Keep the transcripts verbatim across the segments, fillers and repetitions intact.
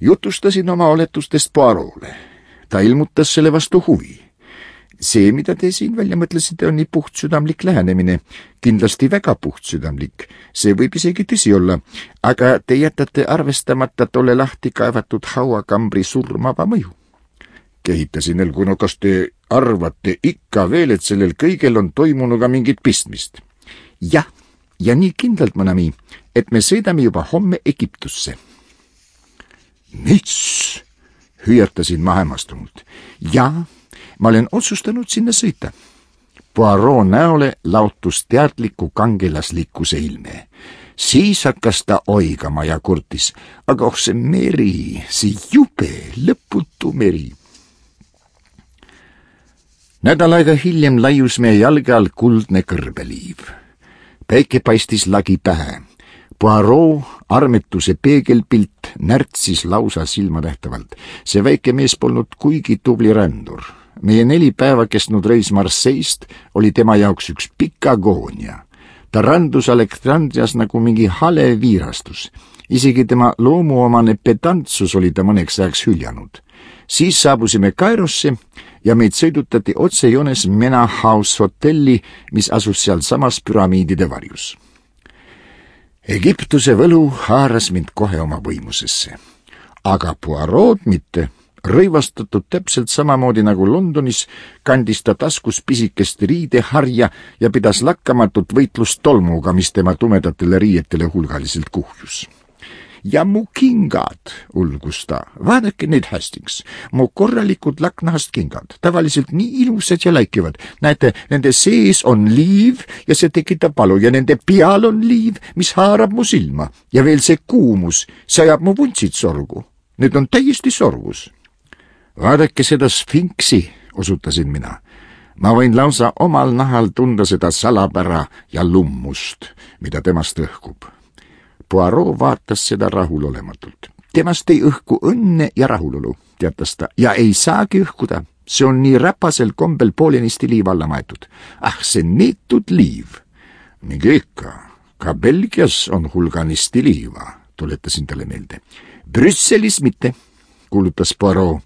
Jutustasin oma oletustest Poirot'le. Ta ilmutas selle vastu huvi. See, mida te siin välja mõtlesite, on nii puhtsüdamlik lähenemine. Kindlasti väga puhtsüdamlik. See võib isegi tõsi olla, aga te jätate arvestamata tolle lahti kaevatud hauakambri surmava mõju. Kehitasin elgu, no kas te arvate ikka veel, et sellel kõigel on toimunuga mingit pistmist? Jah, ja nii kindlalt, Manami, et me sõidame juba homme Egiptusse. Mis? Hüüatasin ma hämmastunult. Jaa, ma olen otsustanud sinna sõita. Poirot näole lautus teadliku kangelaslikkuse ilme. Siis hakkas ta oigama ja kurtis, aga oh see meri, see jube, lõputu meri. Nädal aega hiljem laius meie jalge all kuldne kõrbeliiv. Päike paistis lagi pähe. Poirot armetuse peegelpilt närtsis lausa silmanähtavalt. See väike mees polnud kuigi tubli rändur. Meie neli päeva kestnud reis Marseillest oli tema jaoks üks pikk agoonia. Ta randus Alexandrias nagu mingi hale viirastus. Isegi tema loomuomane pedantsus oli ta mõneks ajaks hüljanud. Siis saabusime Kairosse ja meid sõidutati otsejoones Mena House hotelli, mis asus seal samas püramiidide varjus. Egiptuse võlu haaras mind kohe oma võimusesse. Aga Poirot mitte. Rõivastatud täpselt samamoodi nagu Londonis, kandis ta taskus pisikest riideharja ja pidas lakkamatut võitlust tolmuga, mis tema tumedatele riietele hulgaliselt kuhjus. Ja mu kingad, ulgus ta. Vaadake neid, Hastings. Mu korralikud laknahast kingad. Tavaliselt nii ilusad ja läikivad. Näete, nende sees on liiv ja see tekitab valu ja nende peal on liiv, mis haarab mu silma. Ja veel see kuumus, see ajab mu vuntsid sorgu. Need on täiesti sorgus. Vaadake seda sfinksi, osutasin mina. Ma võin lausa omal nahal tunda seda salapära ja lummust, mida temast õhkub. Poirot vaatas seda rahulolematult. Temast ei õhku õnne ja rahulolu, teatas ta, ja ei saagi õhkuda. See on nii räpasel kombel poolenisti liiv alla maetud. Ah, see neetud liiv. Mingi ikka, ka Belgias on hulganisti liiva, tuletasin talle meelde. Brüsselis mitte, kuulutas Poirot.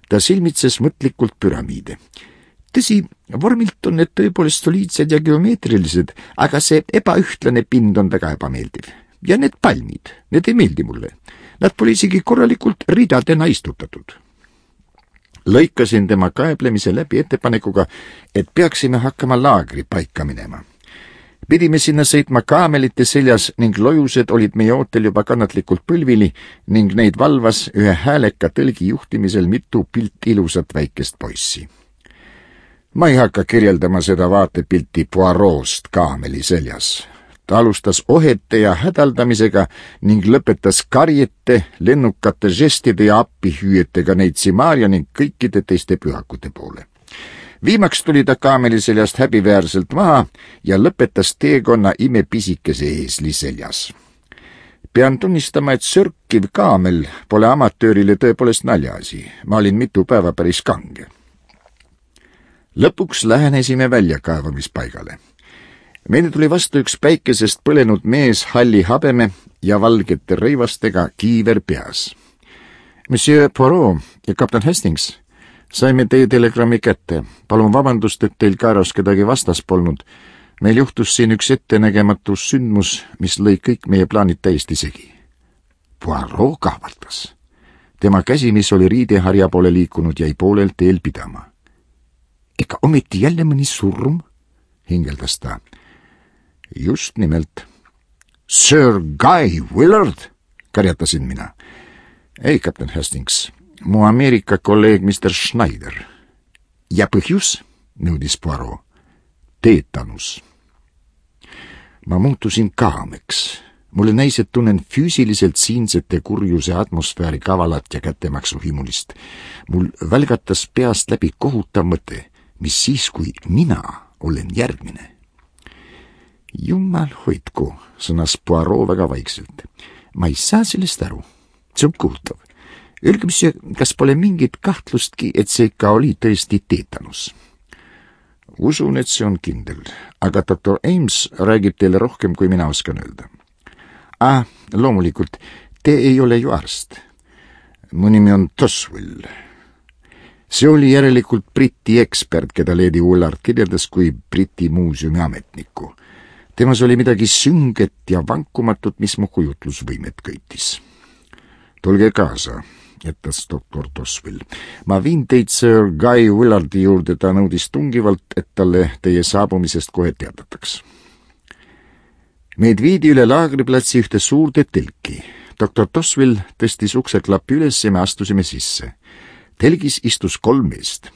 Ta silmitses mõtlikult püramiide. Tõsi, vormilt on need tõepoolest soliidsed ja geomeetrilised, aga see ebaühtlane pind on väga ebameeldiv. Ja need palmid, need ei meeldi mulle. Nad pole isegi korralikult ridadena istutatud. Lõikasin tema kaeblemise läbi ettepanekuga, et peaksime hakkama laagri paika minema. Pidime sinna sõitma kaamelite seljas ning lojused olid meie ootel juba kannatlikult põlvili ning neid valvas ühe hääleka tõlgi juhtimisel mitu pilt ilusat väikest poissi. Ma ei hakka kirjeldama seda vaatepilti Poirot'st kaameli seljas. Ta alustas ohete ja hädaldamisega ning lõpetas karjete, lennukate žestide ja appihüüetega neid Simaria ning kõikide teiste pühakute poole. Viimaks tuli ta kaameli seljast häbiväärselt maha ja lõpetas teekonna imepisikese eesli seljas. Pean tunnistama, et sörkiv kaamel pole amatöörile tõepoolest naljaasi. Ma olin mitu päeva päris kange. Lõpuks lähenesime väljakaevamispaigale. Meile tuli vastu üks päikesest põlenud mees halli habeme ja valgete rõivastega kiiver peas. Monsieur Poirot ja kapten Hastings, saime teie telegrammi kätte. Palun vabandust, et teil Kairos kedagi vastas polnud. Meil juhtus siin üks ettenägematu sündmus, mis lõi kõik meie plaanid täiesti segi. Poirot kahvaldas. Tema käsi, mis oli riideharja poole liikunud, jäi poolel teel pidama. Ega ometi jälle mõni surm? Hingeldas ta. Just nimelt. Sir Guy Willard, karjatasin mina. Ei, kapten Hastings, mu Ameerika kolleeg mister Schneider. Ja põhjus, nõudis Poirot. Teetanus. Ma muutusin kaameks. Mulle näis, et tunnen füüsiliselt siinsete kurjuse atmosfääri kavalat ja kättemaksu himulist. Mul välgatas peast läbi kohutav mõte, mis siis, kui mina olen järgmine. Jumal hoidku, sõnas Poirot väga vaikselt. Ma ei saa sellest aru. See on kohutav. Öelge, mis, kas pole mingit kahtlustki, et see ikka oli tõesti teetanus? Usun, et see on kindel, aga doktor Ames räägib teile rohkem, kui mina oskan öelda. Ah, loomulikult, te ei ole ju arst. Mu nimi on Toswell. See oli järelikult Briti ekspert, keda Lady Ullard kirjeldas kui Briti muuseumi ametnikku. Temas oli midagi sünget ja vankumatut, mis mu kujutlusvõimet köitis. Tulge kaasa, jättas doktor Toswell. Ma viin teid Sir Guy Willardi juurde, ta nõudis tungivalt, et talle teie saabumisest kohe teadataks. Meid viidi üle laagriplatsi ühte suurde telki. doktor Toswell tõstis ukseklappi üles ja me astusime sisse. Telgis istus kolm meest.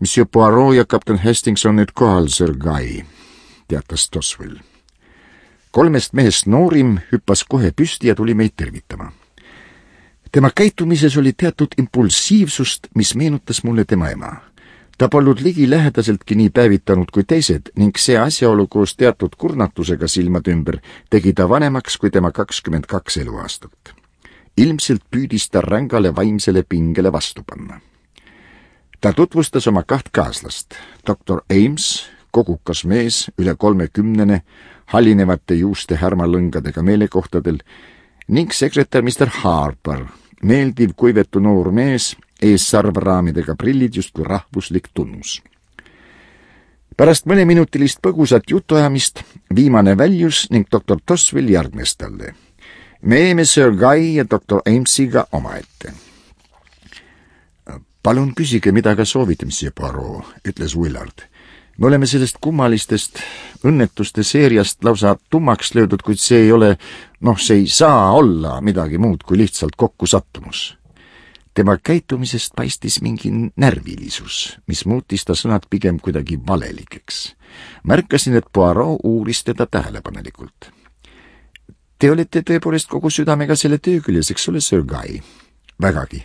Monsieur Poirot ja kapten Hastings on nüüd kohal, Sir Guy, teatas Toswell. Kolmest mehest noorim hüppas kohe püsti ja tuli meid tervitama. Tema käitumises oli teatud impulsiivsust, mis meenutas mulle tema ema. Ta polnud ligi lähedaseltki nii päevitanud kui teised ning see asjaolu koos teatud kurnatusega silmad ümber tegi ta vanemaks kui tema kakskümmend kaks eluaastat. Ilmselt püüdis ta rängale vaimsele pingele vastu panna. Ta tutvustas oma kaht kaaslast, doktor Ames, kogukas mees, üle kolmekümnene, hallinevate juuste härmalõngadega meelekohtadel, ning sekretär mister Harper, meeldiv kuivetu noor mees, ees sarvraamidega prillid justkui rahvuslik tunnus. Pärast mõneminutilist põgusat jutuajamist viimane väljus ning doktor Toswell järgnes talle. Me jäime Sir Guy ja doktor Amesiga omaette. Palun küsige, mida ka soovite, monsieur Poirot, ütles Willard. Me oleme sellest kummalistest õnnetuste seeriast lausa tummaks löödud, kuid see ei ole, noh, see ei saa olla midagi muud kui lihtsalt kokkusattumus. Tema käitumisest paistis mingi närvilisus, mis muutis ta sõnad pigem kuidagi valelikeks. Märkasin, et Poirot uuris teda tähelepanelikult. Te olete tõepoolest kogu südamega selle töö küljes, eks ole, Sir Guy? Vägagi.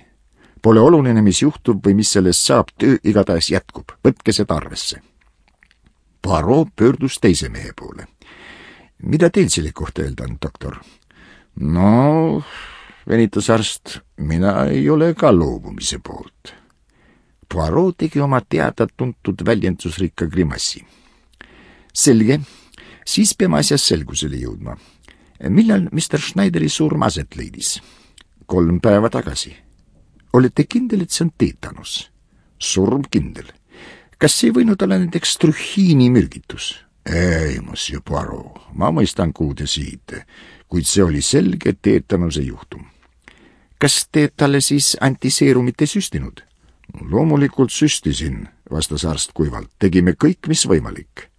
Pole oluline, mis juhtub või mis sellest saab, töö igatahes jätkub. Võtke seda arvesse. Poirot pöördus teise mehe poole. Mida teil selle kohta öelda on, doktor? No, venitas arst, mina ei ole ka loobumise poolt. Poirot tegi oma teada tuntud väljendusrikka grimassi. Selge, siis peame asjas selgusele jõudma. Millal mister Schneideri surm aset leidis? Kolm päeva tagasi. Olete kindel, et see on teetanus? Surm kindel. Kas see ei võinud olla näiteks trühiini mürgitus? Ei, monsieur Poirot, ma mõistan, kuhu te siite, kuid see oli selge teetanuse juhtum. Kas te talle siis antiseerumit ei süstinud? Loomulikult süstisin, vastas arst kuivalt. Tegime kõik, mis võimalik.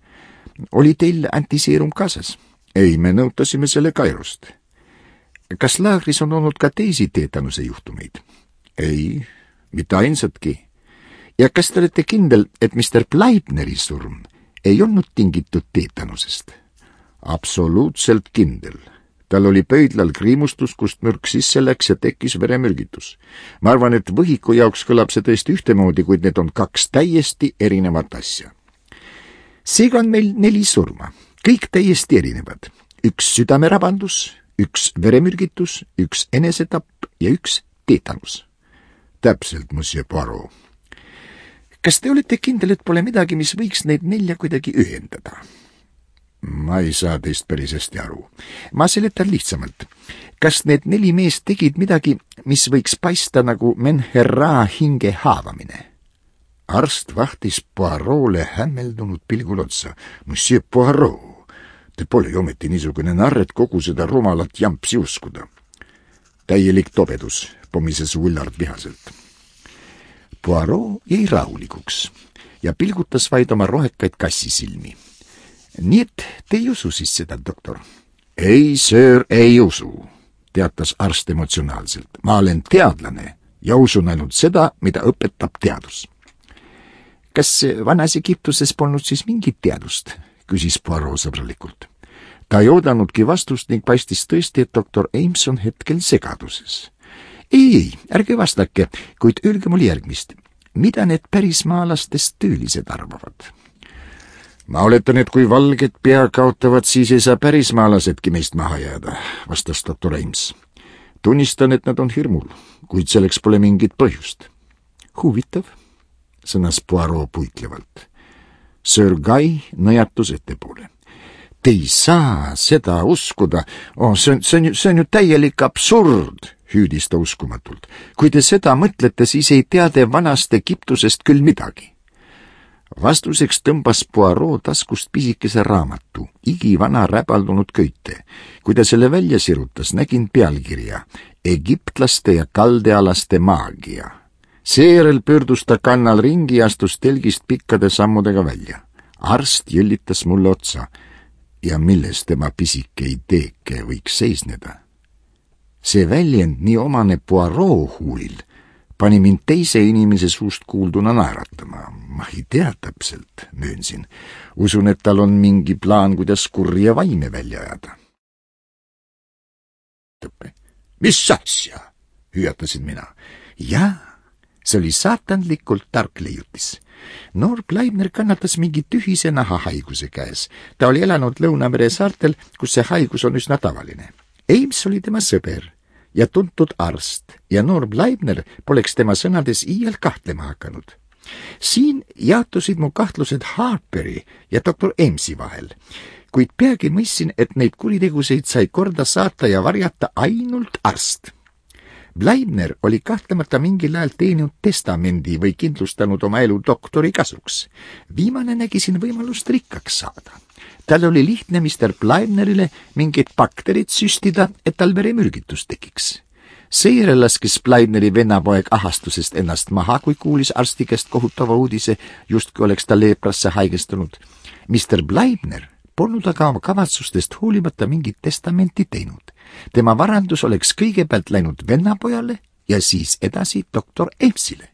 Oli teil antiseerum kaasas? Ei, me nõutasime selle Kairost. Kas laagris on olnud ka teisi teetanuse juhtumeid? Ei, mitte ainsatki. Ja kas te olete kindel, et mister Bleibneri surm ei olnud tingitud teetanusest? Absoluutselt kindel. Tal oli pöidlal kriimustus, kust mürk sisse läks ja tekkis veremürgitus. Ma arvan, et võhiku jaoks kõlab see tõesti ühtemoodi, kuid need on kaks täiesti erinevat asja. Seega on meil neli surma. Kõik täiesti erinevad. Üks südamerabandus, üks veremürgitus, üks enesetapp ja üks teetanus. Täpselt, monsieur Poirot. Kas te olete kindel, et pole midagi, mis võiks neid nelja kuidagi ühendada? Ma ei saa teist päris hästi aru. Ma seletan lihtsamalt. Kas need neli meest tegid midagi, mis võiks paista nagu Menherra hinge haavamine? Arst vahtis Poirot'le hämmeldunud pilgul otsa. Monsieur Poirot, te pole ju ometi niisugune narr, et kogu seda rumalat jampsi uskuda. Täielik tobedus, pomises Willard vihaselt. Poirot jäi rahulikuks ja pilgutas vaid oma rohekaid kassisilmi. Nii et te ei usu siis seda, doktor? Ei, sir, ei usu, teatas arst emotsionaalselt. Ma olen teadlane ja usun ainult seda, mida õpetab teadus. Kas vanas Egiptuses polnud siis mingit teadust? Küsis Poirot sõbralikult. Ta ei oodanudki vastust ning paistis tõesti, et doktor Ames on hetkel segaduses. Ei, ei, ärge vastake, kuid öelge mul järgmist. Mida need pärismaalastest töölised arvavad? Ma oletan, et kui valged pea kaotavad, siis ei saa pärismaalasedki meist maha jääda, vastas doktor Ames. Tunnistan, et nad on hirmul, kuid selleks pole mingit põhjust. Huvitav, sõnas Poirot puiklevalt. Sir Guy nõjatus ettepoole. Te ei saa seda uskuda. Oh, see on, see on, see on ju täielik absurd, hüüdis ta uskumatult. Kui te seda mõtlete, siis ei tea te vanast Egiptusest küll midagi. Vastuseks tõmbas Poirot taskust pisikese raamatu, igivana räbaldunud köite. Kui ta selle välja sirutas, nägin pealkirja Egiptlaste ja kaldealaste maagia. Seejärel pöördus ta kannal ringi ja astus telgist pikkade sammudega välja. Arst jõllitas mulle otsa ja milles tema pisike ideeke võiks seisneda. See väljend nii omane Poirot huulil pani mind teise inimese suust kuulduna naeratama. Ma ei tea täpselt, möönsin. Usun, et tal on mingi plaan, kuidas kurja vaime välja ajada. Mis asja? Hüüatasin mina. Jaa, see oli saatanlikult tark leiutis. Noor Bleibner kannatas mingi tühise nahahaiguse käes. Ta oli elanud Lõunamere saartel, kus see haigus on üsna tavaline. Ames oli tema sõber ja tuntud arst ja noor Bleibner poleks tema sõnades iial kahtlema hakanud. Siin jaotusid mu kahtlused Harperi ja doktor Amesi vahel, kuid peagi mõistsin, et neid kuriteguseid sai korda saata ja varjata ainult arst. Bleibner oli kahtlemata mingil ajal teeninud testamendi või kindlustanud oma elu doktori kasuks. Viimane nägi siin võimalust rikkaks saada. Tal oli lihtne mister Bleibnerile mingid bakterid süstida, et tal veremürgitus tekiks. Seejärel laskis Bleibneri vennapoeg ahastusest ennast maha, kui kuulis arsti käest kohutava uudise, justkui oleks ta leeprasse haigestunud. mister Bleibner polnud aga oma kavatsustest hoolimata mingit testamenti teinud. Tema varandus oleks kõigepealt läinud vennapojale ja siis edasi doktor Amesile.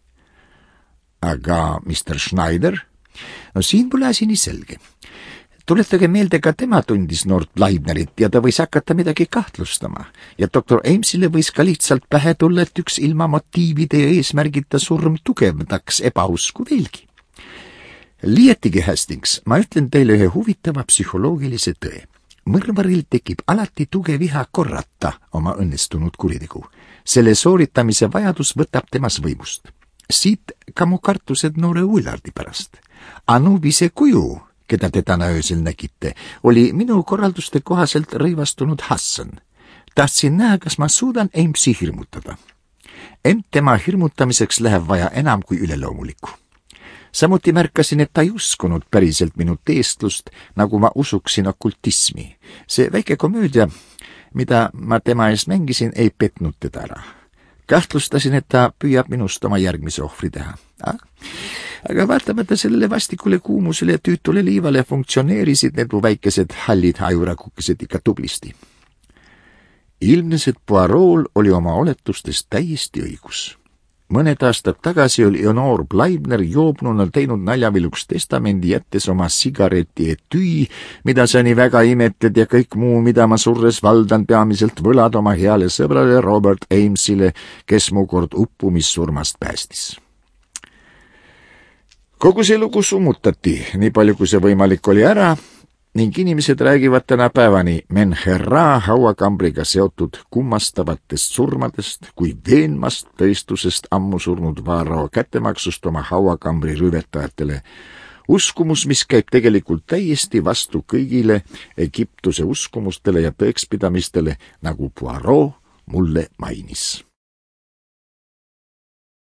Aga mister Schneider? No siin pole asi nii selge. Tuletage meelde, ka tema tundis noort Bleibnerit ja ta võis hakata midagi kahtlustama. Ja doktor Amesile võis ka lihtsalt pähe tulla, et üks ilma motiivide ja eesmärgita surm tugevdaks ebausku veelgi. Liietigi, Hastings, ma ütlen teile ühe huvitava psühholoogilise tõe. Mõrvaril tekib alati tugev viha korrata oma õnnestunud kuritegu. Selle sooritamise vajadus võtab temas võimust. Siit ka mu kartused noore Willardi pärast. Anubise kuju, keda te täna öösel nägite, oli minu korralduste kohaselt rõivastunud Hassan. Tahtsin näha, kas ma suudan Amesi hirmutada. Ent tema hirmutamiseks läheb vaja enam kui üleloomulikku. Samuti märkasin, et ta ei uskunud päriselt minu teestlust, nagu ma usuksin okultismi. See väike komöödia, mida ma tema ees mängisin, ei petnud teda ära. Kahtlustasin, et ta püüab minust oma järgmise ohvri teha. Aga vaatamata sellele vastikule kuumusele ja tüütule liivale funktsioneerisid need mu väikesed hallid hajurakukesed ikka tublisti. Ilmnes, et Poirot'l oli oma oletustest täiesti õigus. Mõned aastad tagasi oli noor Bleibner joobnuna teinud naljaviluks testamendi, jättes oma sigareti etüü, mida sa nii väga imetled ja kõik muu, mida ma surres valdan, peamiselt võlad oma heale sõbrale Robert Amesile, kes mu kord uppumissurmast päästis. Kogu see lugu summutati, nii palju kui see võimalik oli ära, ning inimesed räägivad tänapäevani Menherra hauakambriga seotud kummastavatest surmadest kui veenmast tõestusest ammu surnud Varro kättemaksust oma hauakambri rüvetajatele. Uskumus, mis käib tegelikult täiesti vastu kõigile Egiptuse uskumustele ja tõekspidamistele, nagu Poirot mulle mainis.